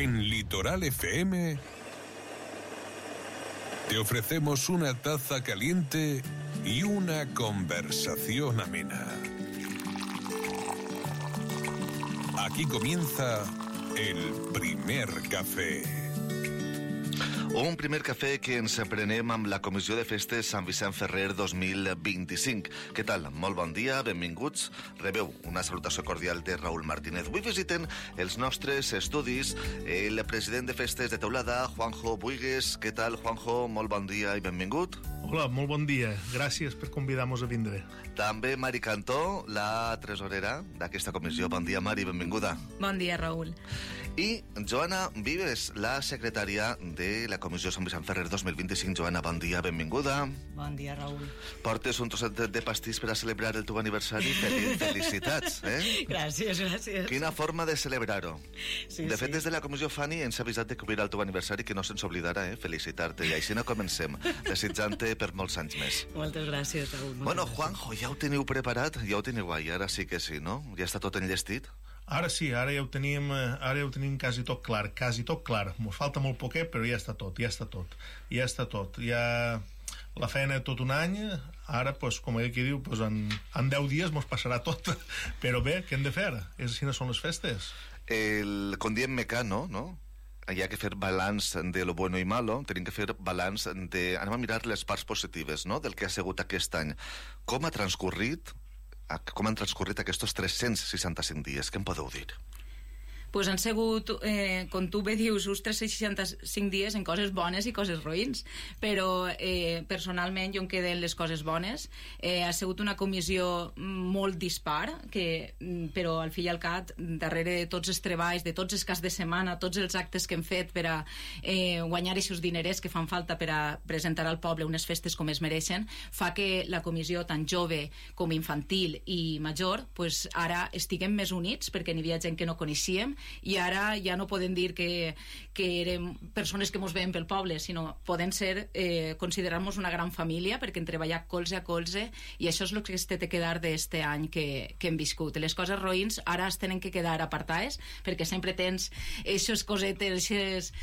En Litoral FM te ofrecemos una taza caliente y una conversación amena. Aquí comienza el primer cafè. Un primer cafè que ens prenem amb la Comissió de Festes Sant Vicent Ferrer 2025. Què tal? Molt bon dia, benvinguts. Rebeu una salutació cordial de Raúl Martínez. Avui visiten els nostres estudis el president de Festes de Teulada, Juanjo Buigues. Què tal, Juanjo? Molt bon dia i benvingut. Hola, molt bon dia. Gràcies per convidar-nos a vindre. També Mari Cantó, la tresorera d'aquesta comissió. Bon dia, Mari, benvinguda. Bon dia, Raúl. I Joana Vives, la secretària de la Comissió Sant Vicent Ferrer 2025. Joana, bon dia, benvinguda. Bon dia, Raúl. Portes un trosset de pastís per a celebrar el teu aniversari. Felicitats, eh? Gràcies. Quina forma de celebrar-ho. Sí, de fet, des de la Comissió Fanny ens ha avisat de cobrir el teu aniversari, que no se'ns oblidarà, felicitar-te. I així no comencem, desitjant-te per molts anys més. Moltes gràcies, Raúl. Bueno, Juanjo, ja ho teniu preparat? Ja ho teniu guai, ara sí que sí, no? Ja està tot enllestit? Ara sí, ara ja ho tenim quasi tot clar, Mos falta molt poquet, però ja està tot. Ja la feina tot un any, ara, pues, com aquí diu, pues, en 10 dies mos passarà tot. Però bé, què hem de fer? Així són les festes. Com diem Mecano, no? Hi ha que fer balanç de lo bueno i malo, tenim que fer balanç de... Anem a mirar les parts positives, no?, del que ha sigut aquest any. Com han transcorrit aquests 365 dies? Què em podeu dir? Pues han sigut, com tu bé dius, uns 365 dies en coses bones i coses roïns, però personalment jo em quedo en les coses bones. Ha sigut una comissió molt dispar, però al fi i al cap, darrere de tots els treballs, de tots els caps de setmana, tots els actes que hem fet per a guanyar aquests dinerers que fan falta per a presentar al poble unes festes com es mereixen, fa que la comissió, tant jove com infantil i major, pues ara estiguem més units, perquè n'hi havia gent que no coneixíem, i ara ja no podem dir que érem persones que mos veiem pel poble, sinó podem ser, considerar-nos una gran família, perquè hem treballat colze a colze, i això és el que es té de quedar d'este any que hem viscut. Les coses roïns ara es tenen que quedar apartades, perquè sempre tens aquestes cosetes, aquestes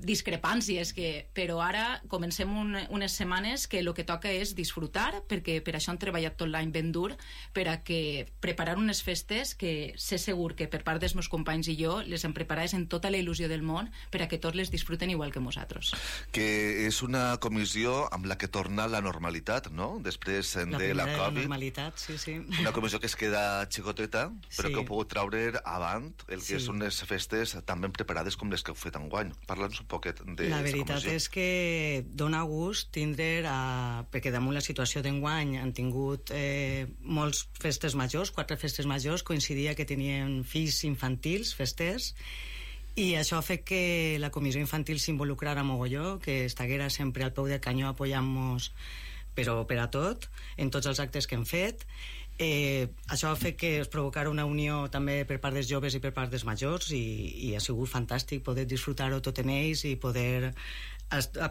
discrepàncies, però ara comencem unes setmanes que el que toca és disfrutar, perquè per això hem treballat tot l'any ben dur, per a que preparar unes festes que sé segur que per part dels meus companys i jo les hem preparades en tota la il·lusió del món per a que tots les disfruten igual que nosaltres. Que és una comissió amb la que torna la normalitat, no? Després de la Covid. La normalitat, sí. Una comissió que es queda xicoteta, però que heu pogut traure avant el que són les festes tan ben preparades com les que heu fet enguany. Parla'ns un poquet de comissió. La veritat és que dona gust tindre, perquè damunt la situació d'enguany han tingut molts festes majors, 4 festes majors, coincidia que tenien fills infantils, festers, i això ha fet que la comissió infantil s'involucrara mogolló, que estaguera sempre al peu del canyó apoyant-nos però per a tot, en tots els actes que hem fet. Això ha fet que es provocara una unió també per part dels joves i per part dels majors, i ha sigut fantàstic poder disfrutar-ho tot en ells i poder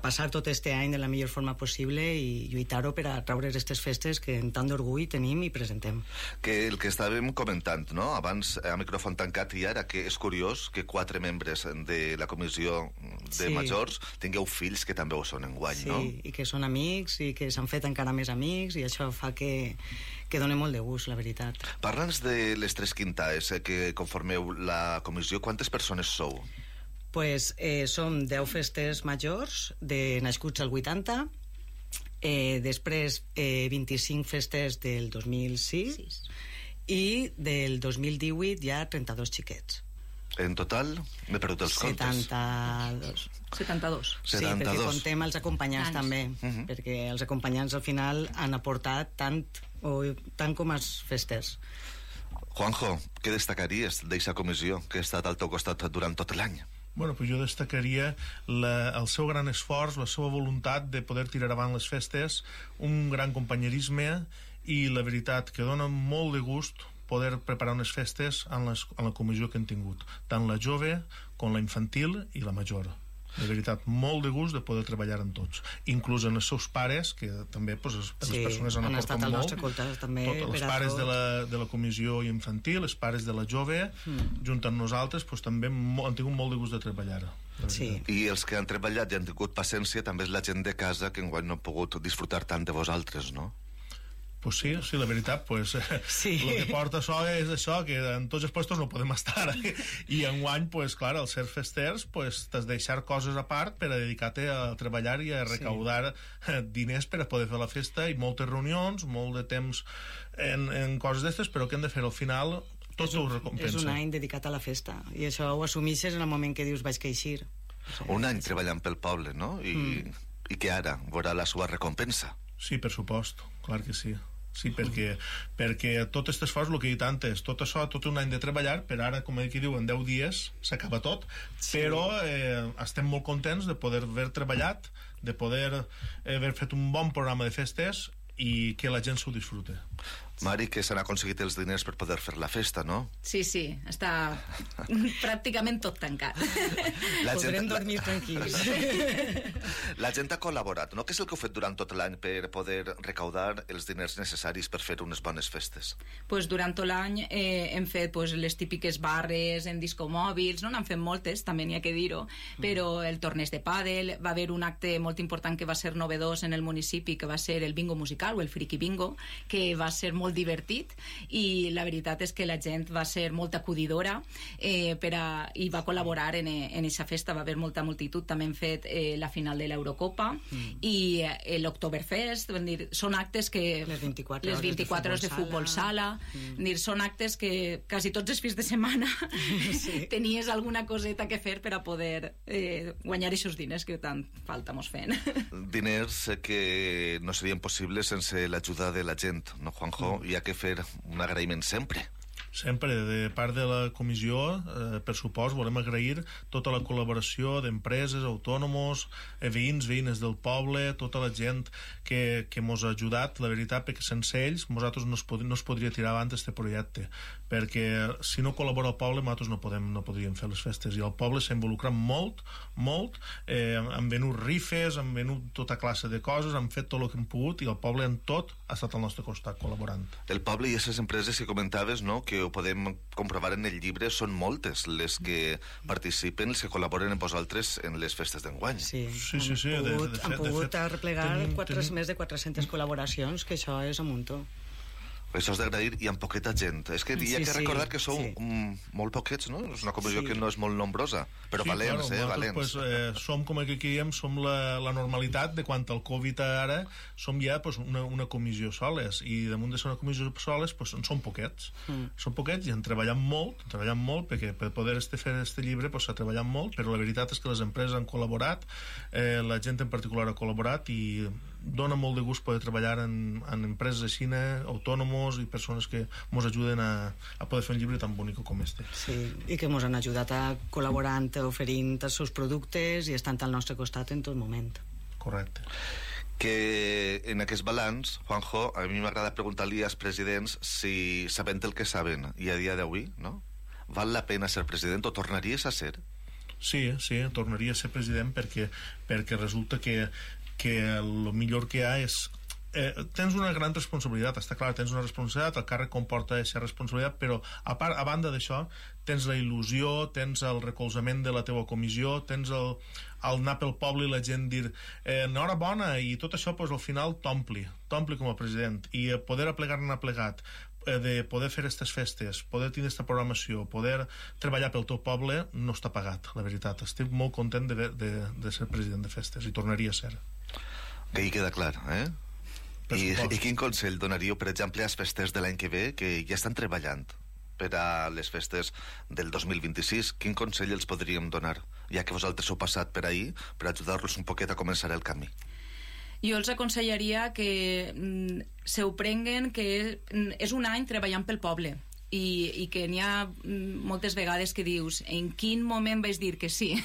passar tot este any de la millor forma possible i lluitar-ho per a traure aquestes festes que amb tant d'orgull tenim i presentem. Que el que estàvem comentant, no?, abans a micròfon tancat i ara, que és curiós que 4 membres de la comissió de majors tingueu fills que també ho són enguany, no? Sí, i que són amics i que s'han fet encara més amics, i això fa que doni molt de gust, la veritat. Parla'ns de les 3 quintaes que conformeu la comissió. Quantes persones sou? Pues som 10 festes majors de nascuts al 80, després 25 festes del 2006 i del 2018 ja 32 xiquets. En total, m'he perdut els comptes. 72. Sí, perquè contem els acompanyants també, perquè els acompanyants al final han aportat tant com els festers. Juanjo, què destacaries d'aquesta comissió que ha estat al teu costat durant tot l'any? Bueno, pues jo destacaria el seu gran esforç, la seva voluntat de poder tirar avant les festes, un gran companyerisme, i la veritat que dona molt de gust poder preparar unes festes en la comissió que hem tingut, tant la jove com la infantil i la major. de veritat, molt de gust de poder treballar amb tots, inclús en els seus pares, que també les persones han aportat molt, els pares de la comissió infantil, els pares de la jove, junt amb nosaltres, també han tingut molt de gust de treballar. Sí. I els que han treballat i han tingut paciència també és la gent de casa que enguany no ha pogut disfrutar tant de vosaltres, no? Pues sí, la veritat, sí. El que porta això és això, que en tots els puestos no podem estar. I enguany, clar, al ser festers, t'has de deixar coses a part per a dedicar-te a treballar i a recaudar diners per a poder fer la festa, i moltes reunions, molt de temps en coses d'estes, però que hem de fer al final tot ho recompensa. És un any dedicat a la festa, i això ho assumixes en el moment que dius vaig queixir. Un any treballant pel poble, no? I que ara veurà la seva recompensa. Sí, per supost, clar que sí. Sí, perquè tot aquest esforç, el que he dit antes, tot això, tot un any de treballar, per ara, com aquí diu, en 10 dies s'acaba tot, però estem molt contents de poder haver treballat, de poder haver fet un bon programa de festes i que la gent s'ho disfrute. Mari, que s'han aconseguit els diners per poder fer la festa, no? Sí, està pràcticament tot tancat. Podrem dormir tranquils. La gent ha col·laborat, no? Què és el que heu fet durant tot l'any per poder recaudar els diners necessaris per fer unes bones festes? Durant tot l'any hem fet les típiques barres en discomòbils, no n'han fet moltes, també n'hi ha que dir-ho, però el torneig de pàdel, va haver un acte molt important que va ser novedós en el municipi, que va ser el bingo musical, o el friki bingo, que va ser molt divertit, i la veritat és que la gent va ser molt acudidora i va col·laborar en aquesta festa. Va haver molta multitud. També hem fet la final de l'Eurocopa i l'Oktoberfest. Són actes que... Les 24 hores de futbol sala. Són actes que quasi tots els fins de setmana tenies alguna coseta que fer per a poder guanyar aquests diners que tant falta mos fent. Diners que no serien possibles sense l'ajuda de la gent, no, Juanjo? Hi ha que fer un agraïment sempre. Sempre, de part de la comissió, per supost, volem agrair tota la col·laboració d'empreses, autònoms, veïns, veïnes del poble, tota la gent que mos ha ajudat, la veritat, perquè sense ells nosaltres no es podria tirar avant aquest projecte, perquè si no col·labora el poble nosaltres no podríem fer les festes, i el poble s'ha involucrat molt, han venut rifes, han venut tota classe de coses, han fet tot el que hem pogut, i el poble en tot ha estat al nostre costat col·laborant. El poble i aquestes empreses que comentaves, no?, que ho podem comprovar en el llibre, són moltes les que participen, les que col·laboren amb vosaltres en les festes d'enguany. Sí. Han pogut arreplegar més de 400 col·laboracions, que això és un muntó. Això és d'agrair, i amb poqueta gent. És que hi ha que recordar que sou molt poquets, no? És una comissió que no és molt nombrosa, però valents, valents. Som, com aquí diem, som la normalitat de quan el Covid ara som ja una comissió soles, i damunt de ser una comissió soles som poquets. Som poquets i han treballat molt, perquè per poder fer este llibre s'ha treballat molt, però la veritat és que les empreses han col·laborat, la gent en particular ha col·laborat, i dona molt de gust poder treballar en empreses així, autònoms i persones que ens ajuden a poder fer un llibre tan bonic com este. Sí, i que ens han ajudat a col·laborant, oferint els seus productes i estant al nostre costat en tot moment. Correcte. Que en aquest balanç, Juanjo, a mi m'agrada preguntar-li als presidents si, sabent el que saben, i a dia d'avui, no? Val la pena ser president o tornaries a ser? Sí, tornaria a ser president perquè resulta que el millor que hi ha és... tens una gran responsabilitat, està clar, tens una responsabilitat, el càrrec comporta aquesta responsabilitat, però a banda d'això tens la il·lusió, tens el recolzament de la teva comissió, tens el anar pel poble i la gent dir enhorabona, i tot això al final t'ompli com a president, i poder aplegar-ne plegat, de poder fer aquestes festes, poder tenir aquesta programació, poder treballar pel teu poble, no està pagat, la veritat. Estic molt content de ser president de festes, i tornaria a ser. Que hi queda clar, eh? I quin consell donaríeu, per exemple, als festers de l'any que ve, que ja estan treballant per a les festes del 2026? Quin consell els podríem donar, ja que vosaltres heu passat per ahí, per ajudar-los un poquet a començar el camí? Jo els aconsellaria que se ho prenguen, que és un any treballant pel poble, i que n'hi ha moltes vegades que dius en quin moment vaig dir que sí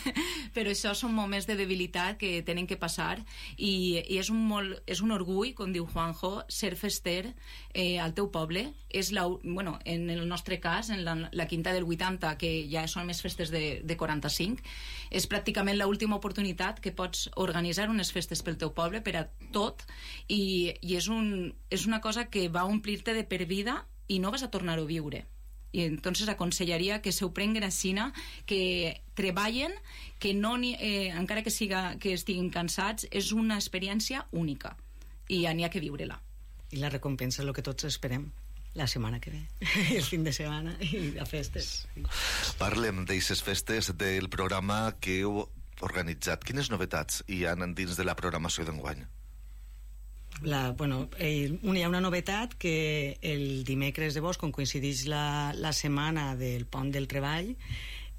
però això són moments de debilitat que tenen que passar i és un orgull, com diu Juanjo, ser fester al teu poble. En el nostre cas, en la quinta del 80, que ja són més festes de 45, és pràcticament l'última oportunitat que pots organitzar unes festes pel teu poble per a tot i és una cosa que va omplir-te de per vida i no vas a tornar-ho a viure. I entonces aconsellaria que s'ho prenguen a Sina, que treballen, que no encara que estiguin cansats, és una experiència única i n'hi ha que viure-la. I la recompensa és el que tots esperem la setmana que ve, el fin de setmana i a festes. Parlem d'eixes festes, del programa que heu organitzat. Quines novetats hi ha dins de la programació d'enguany? Hi ha una novetat, que el dimecres de Bosc, on coincideix la setmana del Pont del Treball,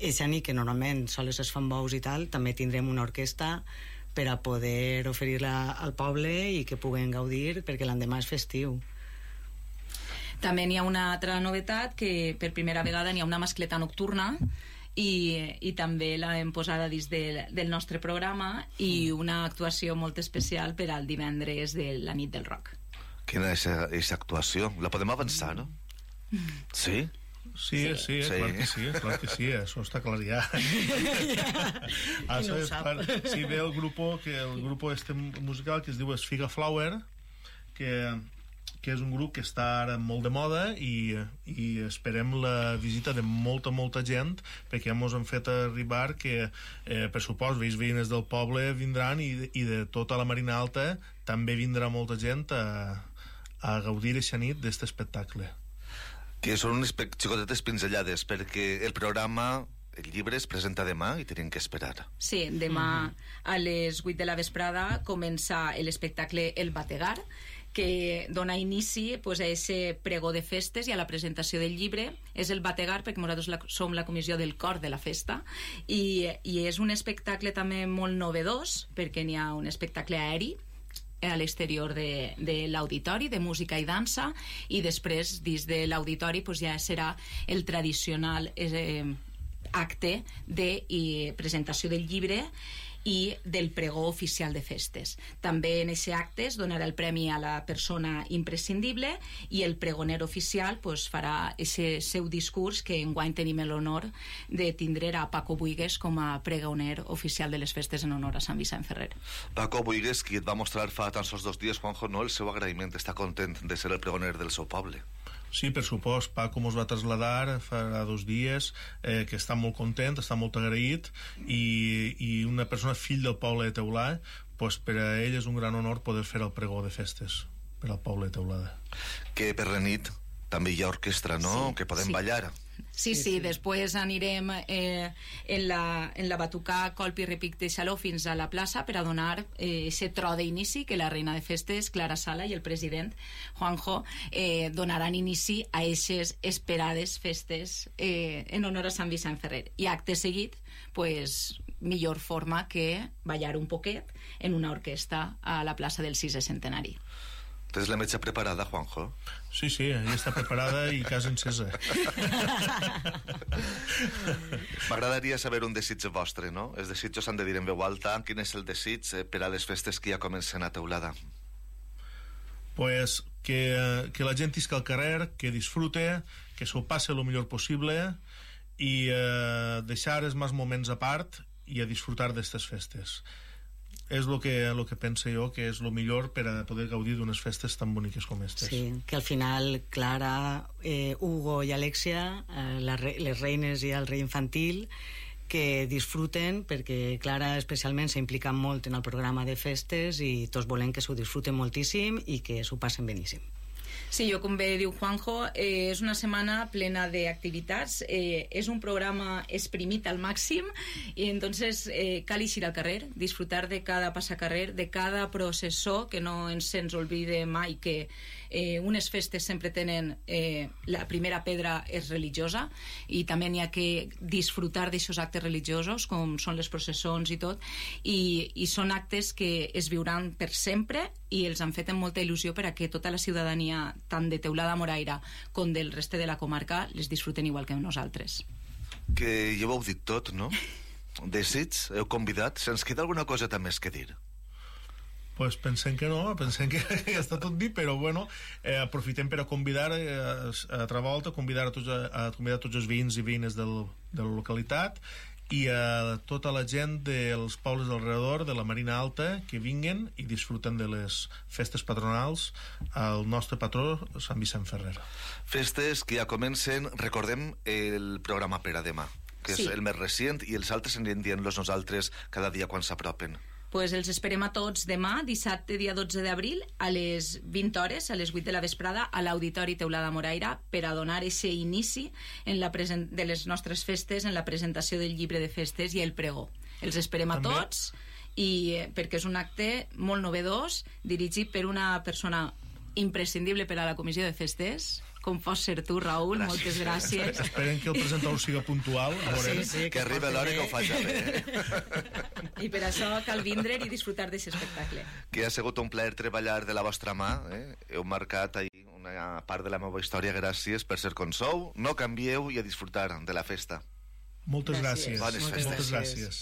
és nit que normalment sols es fan bous i tal, també tindrem una orquestra per a poder oferir-la al poble i que puguen gaudir, perquè l'endemà és festiu. També n'hi ha una altra novetat, que per primera vegada n'hi ha una mascleta nocturna i també l'hem posada dins del nostre programa i una actuació molt especial per al divendres de la nit del rock. Quina és aquesta actuació? La podem avançar, no? Sí? Sí, clar que sí, això està clar ja. No ho sap. Sí, ve el grupo este musical que es diu Sfiga Flower, que és un grup que està ara molt de moda i esperem la visita de molta gent, perquè ja ens han fet arribar que per supost veïnes del poble vindran i de tota la Marina Alta també vindrà molta gent a gaudir aquesta nit d'aquest espectacle. Que són unes xicotetes pinzellades, perquè el programa, el llibre, es presenta demà i tenim que esperar. Sí, demà a les 8 de la vesprada comença l'espectacle El Bategar, que dona inici a aquest pregó de festes i a la presentació del llibre. És el Bategar perquè nosaltres som la comissió del cor de la festa i és un espectacle també molt novedós, perquè n'hi ha un espectacle aeri a l'exterior de l'auditori, de música i dansa, i després dins de l'auditori ja serà el tradicional acte de presentació del llibre i del pregó oficial de festes. També en aquest acte es donarà el premi a la persona imprescindible i el pregoner oficial farà aquest seu discurs, que enguany tenim l'honor de tindre a Paco Buigues com a pregoner oficial de les festes en honor a Sant Vicent Ferrer. Paco Buigues, qui et va mostrar fa tan sols 2 dies, Juanjo, el seu agraïment, està content de ser el pregoner del seu poble. Sí, per supost, Paco mos va traslladar fa 2 dies, que està molt content, està molt agraït, i una persona fill del poble de Teulada, per a ell és un gran honor poder fer el pregó de festes per al poble de Teulada. Que per la nit també hi ha orquestra, no? Sí, que podem ballar. Sí, després anirem en la batucà Colp i Repic de Xaló fins a la plaça per a donar aquest tro d'inici que la reina de festes, Clara Sala, i el president, Juanjo, donaran inici a aquestes esperades festes en honor a Sant Vicent Ferrer. I acte seguit, millor forma que ballar un poquet en una orquestra a la plaça del 6è centenari. Tens la metge preparada, Juanjo? Sí, ja està preparada i casa encesa. M'agradaria saber un desig vostre, no? Els desitjos s'han de dir en veu alta. Quin és el desig per a les festes que ja comencen a Teulada? Que la gent isca al carrer, que disfrute, que s'ho passe el millor possible i deixar els més moments a part i a disfrutar d'estes festes. És el que penso jo que és el millor per a poder gaudir d'unes festes tan boniques com aquestes. Sí, que al final Clara, Hugo i Alexia, les reines i el rei infantil, que disfruten, perquè Clara especialment s'implica molt en el programa de festes i tots volem que s'ho disfruten moltíssim i que s'ho passen beníssim. Sí, com bé diu Juanjo, és una setmana plena d'activitats, és un programa exprimit al màxim i entonces cal eixir al carrer, disfrutar de cada passacarrer, de cada processó, que no ens oblide mai que Unes festes sempre tenen la primera pedra és religiosa i també n'hi ha que disfrutar d'aixòs actes religiosos com són les processons i tot, i són actes que es viuran per sempre i els han fet amb molta il·lusió per a que tota la ciutadania, tant de Teulada Moraira com del reste de la comarca, les disfruten igual que nosaltres. Que ja ho heu dit tot, no? Desig, heu convidat. Se'ns queda alguna cosa més que dir? Pues pensem que no, pensem que ja està tot dit, però bueno, aprofitem per a convidar a altra volta, convidar tots els veïns i veïnes de la localitat i a tota la gent dels pobles d'alrededor de la Marina Alta que vinguen i disfruten de les festes patronals al nostre patró Sant Vicent Ferrer. Festes que ja comencen. Recordem el programa per a demà, que és el més recent, i els altres anirem dient-los nosaltres cada dia quan s'apropen. Pues els esperem a tots demà, dissabte, dia 12 d'abril, a les 20 hores, a les 8 de la vesprada, a l'Auditori Teulada Moraira, per a donar aquest inici de les nostres festes, en la presentació del llibre de festes i el pregó. Els esperem a tots, perquè és un acte molt novedós, dirigit per una persona imprescindible per a la comissió de festes, com pots ser tu, Raül. Gràcies. Moltes gràcies. Esperem que el presentador siga puntual. Que arribi l'hora que ho faci bé. I per això cal vindre i disfrutar d'aquest espectacle. Que ha sigut un plaer treballar de la vostra mà. Heu marcat ahir una part de la meva història. Gràcies per ser com sou. No canvieu i a disfrutar de la festa. Moltes gràcies. Bones festes. Moltes gràcies.